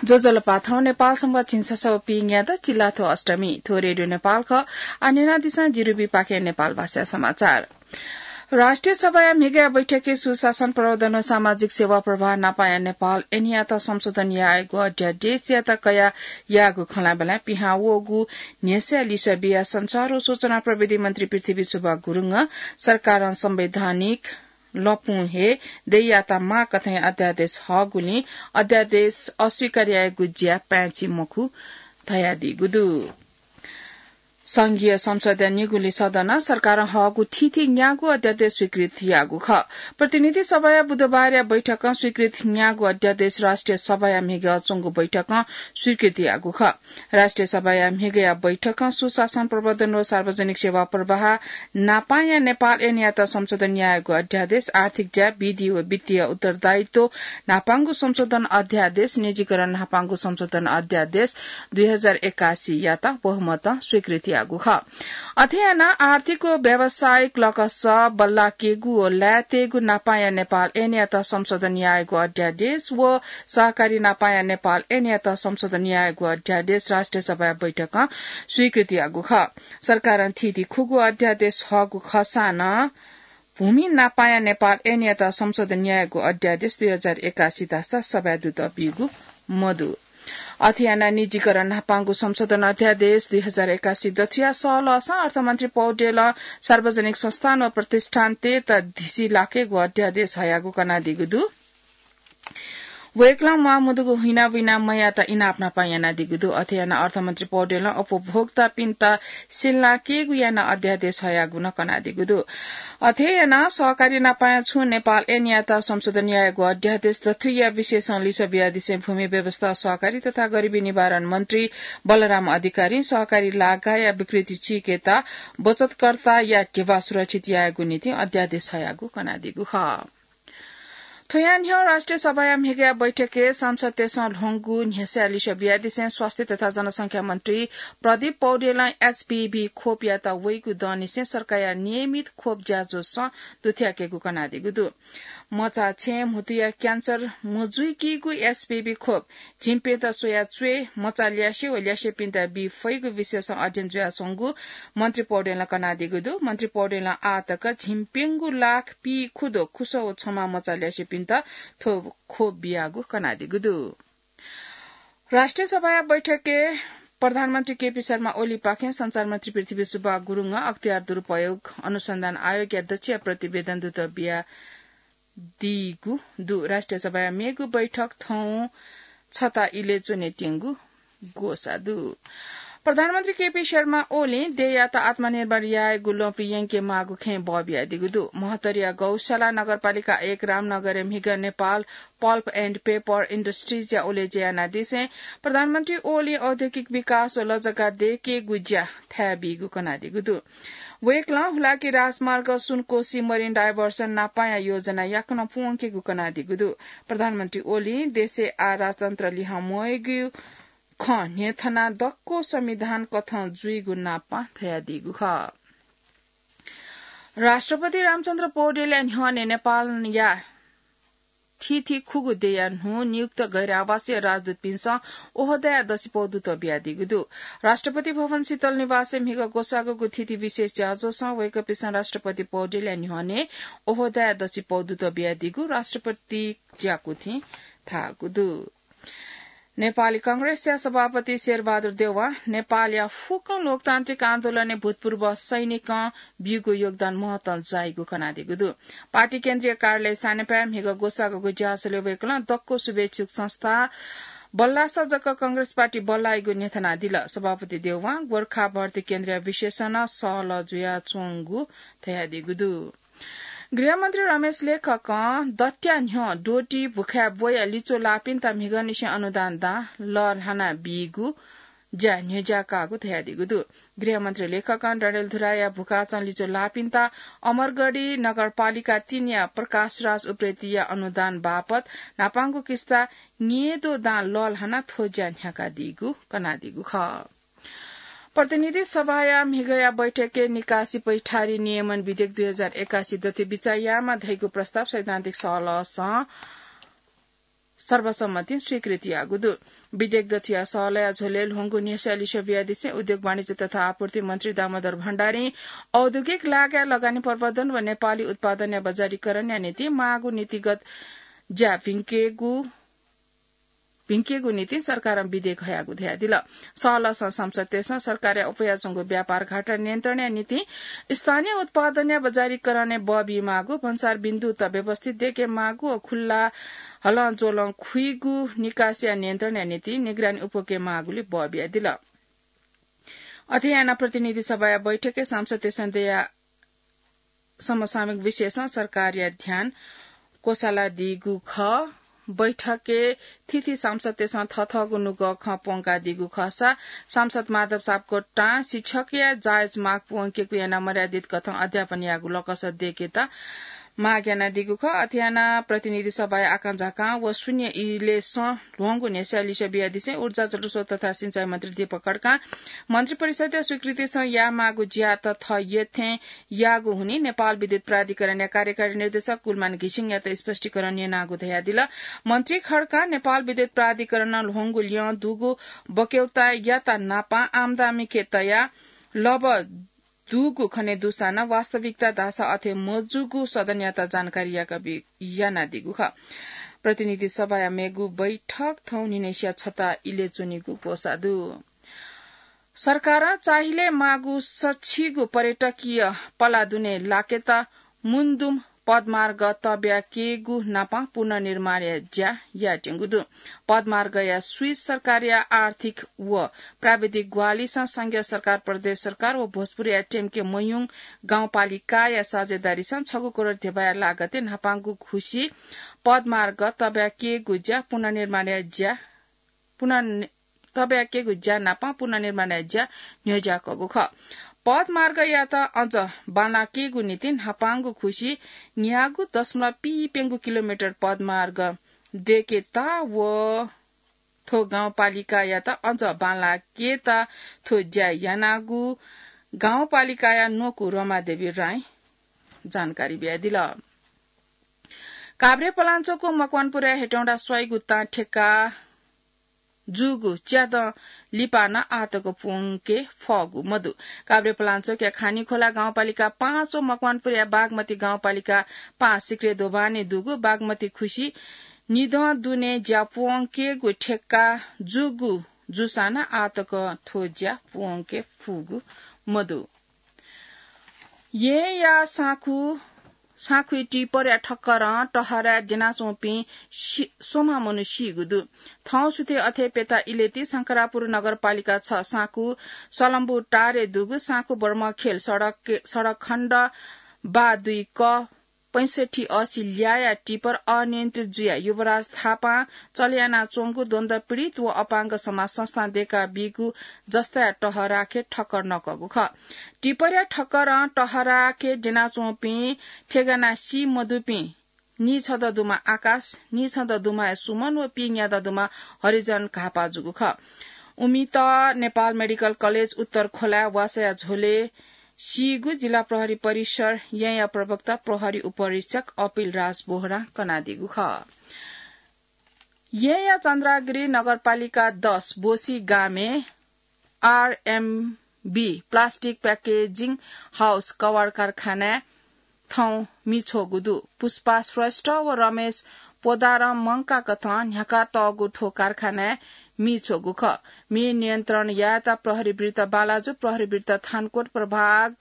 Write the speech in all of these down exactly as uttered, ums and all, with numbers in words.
ज्वजलपा, थौं नेपाल संवत् झिंछसः व पीन्यादँ चिल्लाथ्व अष्टमी। थ्व रेडियो नेपाल खः। आः न्यनादिसँ जिरुबीपाखें नेपाल भाषा समाचार। राष्ट्रिय सभाया म्हिगया बैठकय् सुशासन प्रवर्धन व सामाजिक सेवा प्रवाह नापाया नेपाल ऐनयात संशोधन यायेगु अध्यादेशयात कयाः याःगु खँल्हाबल्हाय् पिहां वःगु न्ह्यसः लिसः बियाः सञ्चार व सूचना प्रविधि मन्त्री पृथ्वी सुब्बा गुरुङं सरकारं संवैधानिक लँपुं हे देय्‌यात माःकथं अध्यादेश हःगुलिं अध्यादेश अस्वीकार यायेगु ज्या पाय्‌छि मखु धयादीगु दु। संघीय संसदया निगुलिं सदनं सरकारं हःगु थीथी न्यागू अध्यादेश स्वीकृत याःगु खः। प्रतिनिधि सभाया बुधबारया बैठकं स्वीकृत न्यागू अध्यादेश राष्ट्रिय सभाया म्हिगः च्वंगु बैठकं स्वीकृत याःगु खः। राष्ट्रिय सभाया म्हिगया बैठकं सुशासन प्रवर्धन व सार्वजनिक सेवा प्रवाह नापाया नेपाल ऐनयात संशोधन यायेगु अध्यादेश, आर्थिक ज्या, विधि व वित्तीय उत्तरदायित्व न्हापांगु संशोधन अध्यादेश, निजीकरण न्हापांगु संशोधन अध्यादेश दुई हजार एकासी यात बहुमतं स्वीकृत याःगु खः। अथे यानाः आर्थिक व व्यावसायिक लकस बल्लाकेगु व लायेतयेगु नापाया नेपाल ऐनयात संशोधन यायेगु अध्यादेश व सहकारी नापाया नेपाल ऐनयात संशोधन यायेगु अध्यादेश राष्ट्रिय सभाया बैठकं स्वीकृत याःगु खः। सरकारं थीथी खुगू अध्यादेश हःगु खःसां नं भूमि नापाया नेपाल ऐनयात संशोधन यायेगु अध्यादेश दुई हजार एकासी धाःसा सभाय् दुत बीगु मदु। अथे यानाः निजीकरण न्हापांगु संशोधन अध्यादेश दुई हजार एकासी दथुया सहलहसं अर्थमन्त्री पौडेलं सार्वजनिक संस्थान व प्रतिष्ठानतय्‌त धिसी लाकेगु अध्यादेश हयागु कनादीगु दु। वय्‌कलं म्वाःमदुगु हुइनाबुइना मयात इनाप न्हापां यानादीगु दु। अथे यानाः अर्थमन्त्री पौडेलं उपभोक्तापिन्त सिल्लाकेगु यानाः अध्यादेश हयागु नं कनादीगु दु। अथे यानाः सहकारी नापाया छुं नेपाल ऐनयात संशोधन यायेगु अध्यादेश दथुया विषयसं लिसः बियादिसें भूमि व्यवस्था, सहकारी तथा गरिबी निवारण मन्त्री बलराम अधिकारीं सहकारी लागाया विकृति चीकेत बचतकर्ताया ध्यबा सुरक्षित यायेगु निंतिं अध्यादेश हयागु कनादीगु खः। थ्वया न्ह्यः राष्ट्रिय सभाया म्हिगया बैठकय् सांसदतय्‌सं ल्ह्वंगु न्ह्यसः लिसः बियादिसें स्वास्थ्य तथा जनसंख्या मन्त्री प्रदीप पौडेलं एचपीभी खोपयात वइगु दँनिसें सरकारया नियमित खोप ज्याझ्वलय् दुथ्याकेगु कनादीगु दु। मचा छेँ म्हुतुया क्यान्सर मजुइकीगु एचपीभी खोप झिंप्यत स्वया च्वय्, मचा ल्यासे व ल्यासेपिन्त बी फइगु विषयसं अध्ययन जुयाच्वंगु मन्त्री पौडेलं कनादीगु दु। मन्त्री पौडेलं आःतक झिंप्यंगू लाख पीखुदँ खुसः व छ्वमा मचा ल्यासेपिन्त थ्व खोप बियागु कनादीगु दु। राष्ट्रिय सभाया बैठकय् प्रधानमन्त्री केपी शर्मा ओलीपाखें सञ्चार मन्त्री पृथ्वी सुब्बा गुरुङं अख्तियार दुरुपयोग अनुसन्धान आयोगया दच्छिया प्रतिवेदन दुत बिया दीगु दु। राष्ट्रिय सभाया मेगु बैठक थौं छता इलय् च्वनेत्यंगु ग्वसाः दु। प्रधानमन्त्री केपी शर्मा ओलीं देय्‌यात आत्मनिर्भर यायेगु ल्वपु यंके माःगु खँय् बः बियादीगु दु। महतरिया गौशाला नगरपालिका एक रामनगरय् म्हिगः Nepal Pulp and Paper Industries या उलेज्या यानादिसें प्रधानमन्त्री ओलीं औद्योगिक विकास व लजगाः दयेकेगु ज्या थाय् बीगु कनादीगु दु। वय्‌कलं हुलाकी राजमार्ग, सुनकोशी Marine Diversion नापांया योजना याकनं पूवंकेगु कनादीगु दु। प्रधानमन्त्री ओलीं देशय् आः राजतन्त्र लिहां म्वयेगु खँ न्ह्यथनाः दक्व संविधान कथं जुइगु नापां धयादीगु खः। राष्ट्रपति रामचन्द्र पौडेलया न्ह्यःने नेपालया थीथी खुगू देय्‌या न्हू नियुक्त गैर आवासीय राजदूतपिन्सं ओहदाया दसिपौ दुत बियादीगु दु। राष्ट्रपति भवन शीतल निवासय् म्हिगः ग्वसाःगु थीथी विशेष ज्याझ्वलय् वय्‌कःपिन्सं राष्ट्रपति पौडेलया न्ह्यःने ओहदाया दसिपौ दुत बियादीगु राष्ट्रपति ज्याकुथिं धाःगु दु। नेपाली कांग्रेसया सभापति शेरबहादुर देउवां नेपालया फुक्क लोकतान्त्रिक आन्दोलनय् भूतपूर्व सैनिकं बीगु योगदान महत्तं जाइगु कनादीगु दु। पार्टी केन्द्रीय कार्यालय सानेपाय् म्हिगः ग्वसाःगु ज्याझ्वलय् वय्‌कलं दक्व शुभेच्छुक संस्था बल्लासा जक कांग्रेस पार्टी बल्लाइगु न्ह्यथनादिल। सभापति देउवां गोर्खा भर्ती केन्द्रया विषयसं नं सहलह जुयाच्वंगु धयादीगु दु। गृहमन्त्री रमेश लेखकं दँत्या न्ह्यः द्वःति भुखाय् ब्वया लिच्वः लाःपिन्त म्हिगःनिसें अनुदान दां लःल्हाना बीगु ज्या न्ह्यज्याकाःगु धयादीगु दु। गृहमन्त्री लेखकं डडेलधुराया भुखाचं लिच्वः लाःपिन्त अमरगढी नगरपालिका तीनया प्रकाशराज उप्रेतीया अनुदान बापत न्हापांगु किस्ता न्येद्वः दां लःल्हानाः थ्व ज्या न्ह्याकादीगु कनादीगु खः। प्रतिनिधि सभाया म्हिगःया बैठकय् निकासी पैठारी नियमन विधेयक दुई हजार एकासी दथुइ बिचाः यायेमाः धइगु प्रस्ताव सैद्धान्तिक सहलहसं सर्वसम्मतिं स्वीकृति याःगु दु। विधेयक दथुया सहलया झ्वलय् ल्ह्वंगु न्ह्यस्या लिसे बियादिसें उद्योग वाणिज्य तथा आपूर्ति मन्त्री दामोदर भण्डारीं औद्योगिक लागाय् लगानी प्रवर्धन व नेपाली उत्पादनया बजारीकरणया निंतिं माःगु नीतिगत ज्या भिंकेगु भिंकेगु निंतिं सरकारं विधेयक हयागु धयादिल। सहलसं सांसदतय्सं सरकारया अप्वयाच्वंगु व्यापार घाटा नियन्त्रणया निंतिं स्थानीय उत्पादनया बजारीकरणय् बः बीमाःगु, भन्सार बिन्दुत व्यवस्थित दय्केमाःगु व खुल्ला हलंज्वलं खुइगु निकासया नियन्त्रणया निंतिं निगरानी उप्वकेमाःगुलि बः बियादिल। अथे यानाः प्रतिनिधि सभाया बैठकय् सांसदतय्सं दया समसामयिक विषयसं सरकारया ध्यान क्वसालादीगु खः। बैठकय् थीथी सांसदतय्सं थथःगु नुगः खँ प्वंकादीगु खःसा सांसद माधव सापकोटां शिक्षकया जायज माग प्वंकेगु यानाः मर्यादित कथं अध्यापन यायेगु लकस दय्केत माग यानादीगु खः। अथे यानाः प्रतिनिधि सभाया आकांझाकां व शून्य इलेसं ल्ह्वंगु न्ह्यस्या लिसे बियादिसें ऊर्जा, जलस्रोत तथा सिंचाई मन्त्री दीपक खड्कां मन्त्रिपरिषदया स्वीकृतिसं यायेमाःगु ज्यात थः यथें याःगु हुनिं नेपाल विद्युत प्राधिकरणया कार्यकारी निर्देशक कुलमान घिसिङयात स्पष्टीकरण न्यनागु धयादिल। मन्त्री खड्कां नेपाल विद्युत प्राधिकरणं ल्ह्वंगु ल्यं दुगु बक्यौतायात नापं आम्दामीके तयाः लब दुगु खने दुसां वास्तविकता धाःसा अथे मजूगु सदनयात जानकारी याका बी-, यानादीगु खः। प्रतिनिधि सभाया मेगु बैठक थौं न्हिनय्सिया छता इलय् च्वनीगु ग्वसाः दु। सरकारं चाहिलय् माःगु सछिगु पर्यटकीय पला दुने लाकेत मुन्दुम पदमार्ग तब्याकेगु नापं पुनर्निर्माणया ज्या यायेत्यंगु दु। पदमार्गया स्वीस सरकारया आर्थिक व प्राविधिक ग्वाहालिसं संघीय सरकार, प्रदेश सरकार व भोजपुरया टेम्के मयुङ गाउँपालिकाया साझेदारीसं छगू करोड धेबाया लागतय् न्हापांगु खुसी पदमार्ग तब्याकेगु ज्या पुनर्निर्माणया ज्या पुनर्नि-, तब्याकेगु ज्या नापं पुनर्निर्माणया ज्या न्ह्यज्याकःगु खः। पदमार्गयात अझ बांलाकेगु निंतिं न्हापांगु खुसी न्यागू दशमलव पीप्यंगू किलोमिटर पदमार्ग दय्केत व थ्व गाउँपालिकायात अझ बांलाकेत थ्व ज्या यानागु गाउँपालिकाया न्वकू रमादेवी राईं जानकारी बियादिल। काभ्रे पलाञ्चोकको मकवानपुरया हेटौंडा स्वाइगु तां ठेक्का जूगु च्यादँ लिपा नं आःतक प्वंके फःगु मदु। काभ्रे पलाञ्चोकया खानीखोला गाउँपालिका पाँच व मकवानपुरया बागमती गाउँपालिका पाँच सिक्रे दोभानय् दुगु बागमती खुसी निदँ दुने ज्या प्वंकेगु ठेक्का जूगु जूसां नं आःतक थ्व ज्या प्वंके फुगु मदु। येँया साँखु, साँखुइ टिपरया ठक्करं टहराय् द्यनाच्वंपिं सि-, स्वम्ह मनू सीगु दु। थौं सुथय् अथे प्यता इलय् ति शंकरापुर नगरपालिका छ साँखु सलम्बु टारय् दुगु साँखु बर्मखेल सडक, सडक खण्ड बा दुई क पैंसठ्ठी असी ल्याःया टिपर अनियन्त्रित जुयाः युवराज थापां चले यानाच्वंगु द्वन्द्वपीडित व अपाङ्ग समाज संस्थां दय्का बीगु जस्ताया टहराखे ठक्कर नकःगु खः। टिपरया ठक्करं टहराखे द्यनाच्वंपिं थेगाना सी मदुपिं नीछदँ दुमा आकाश, नीछदँ दुमाया सुमन व पीन्यादँ दुमा हरिजन घाःपाः जूगु खः। उमित नेपाल मेडिकल कलेज उत्तर खोलाय् वासःया झ्वलय् सीगु जिल्ला प्रहरी परिसर येँया प्रवक्ता प्रहरी उपरीक्षक अपिल राज बोहरां कनादीगु खः। येँया चन्द्रागिरी नगरपालिका दस बोसी गामय् आरएमबी प्लास्टिक प्याकेजिङ हाउस कवाड कारखानाय् थौं मि छ्वःगु दु। पुष्पा श्रेष्ठ व रमेश पोदारं मंका कथं न्ह्याका तःगु थ्व कारखानाय् मि छ्वःगु खः। मि नियन्त्रण यायेत प्रहरी वृत्त बालाजु, प्रहरी वृत्त थानकोट प्रभाग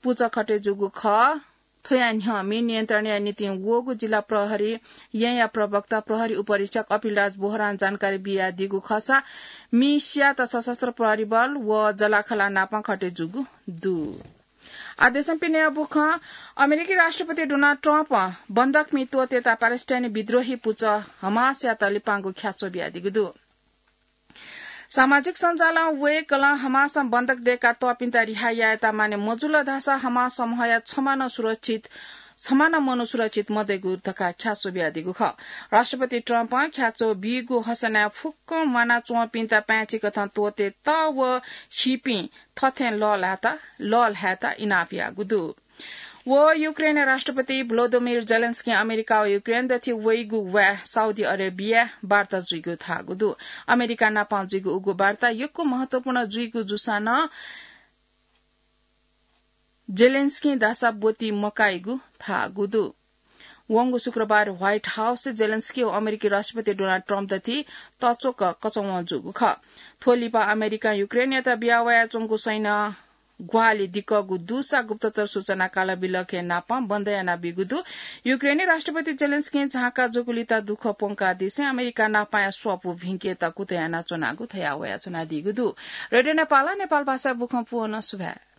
पुचःखटे जूगु खः। थ्वया न्ह्यः मि नियन्त्रणया निंतिं वःगु जिल्ला प्रहरी येँया प्रवक्ता प्रहरी उपरीक्षक अपिलराज बोहरां जानकारी बियादीगु खःसा मि स्यात सशस्त्र प्रहरी बल व जलाखला नापं खटे जूगु दु। आदेशं पिने बुखं अमेरिकी राष्ट्रपति डोनाल्ड ट्रम्प बन्दकमि त्वःतेता प्यालेस्टाइनी विद्रोही पुचः हमासयात लिपांगु ख्याच्वः बियादीगु दु। सामाजिक सञ्जालं वय्कलं हमासं बन्दक दय्का तःपिन्त रिहा यायेत माने मजुल धाःसा हमास समूहया छमा नं सुरक्षित, छमा नं मनू सुरक्षित मदय्गु धकाः ख्याच्वः बियादीगु खः। राष्ट्रपति ट्रम्पं ख्याच्वः बीगु हसनाय् फुक्कं म्वानाच्वंपिन्त पाय्छि कथं त्वःतेत व सीपिं थथें लःल्हायेत, लःल्हायेत इनाप याःगु दु। व युक्रेन राष्ट्रपति भ्लोदोमिर जेलेन्स्की अमेरिका व युक्रेन दथि वइगु वाय् साउदी अरेबिया वार्ता जुइगु धाःगु दु। अमेरिका नापां जुइगु उगु वार्ता यक्व महत्वपूर्ण जुइगु जूसां नं जेलेन्स्की दासा ब्वति मकाइगु धाःगु दु। वंगु शुक्रबार व्हाइट हाउस जेलेन्स्की व अमेरिकी राष्ट्रपति डोनाल्ड ट्रम्प दथि तच्वक कचवं जूगु खः। थ्व लिपा अमेरिकां युक्रेनयात बिया वयाच्वंगु सैन्य ग्वाहालि दिकःगु दुसा गुप्तचर सूचना कालबिलखय् नापं बन्द यानाबीगु दु। युक्रेनी राष्ट्रपति जेलेन्स्कीं झांका जूगु लिता दुःख प्वंकादिसें अमेरिका नापांया स्वापू भिंकेत कुतः यानाच्वनागु धया वयाच्वनादीगु दु। रेडियो नेपालं नेपाल भाषा बुखँ पुवं सुभाय्।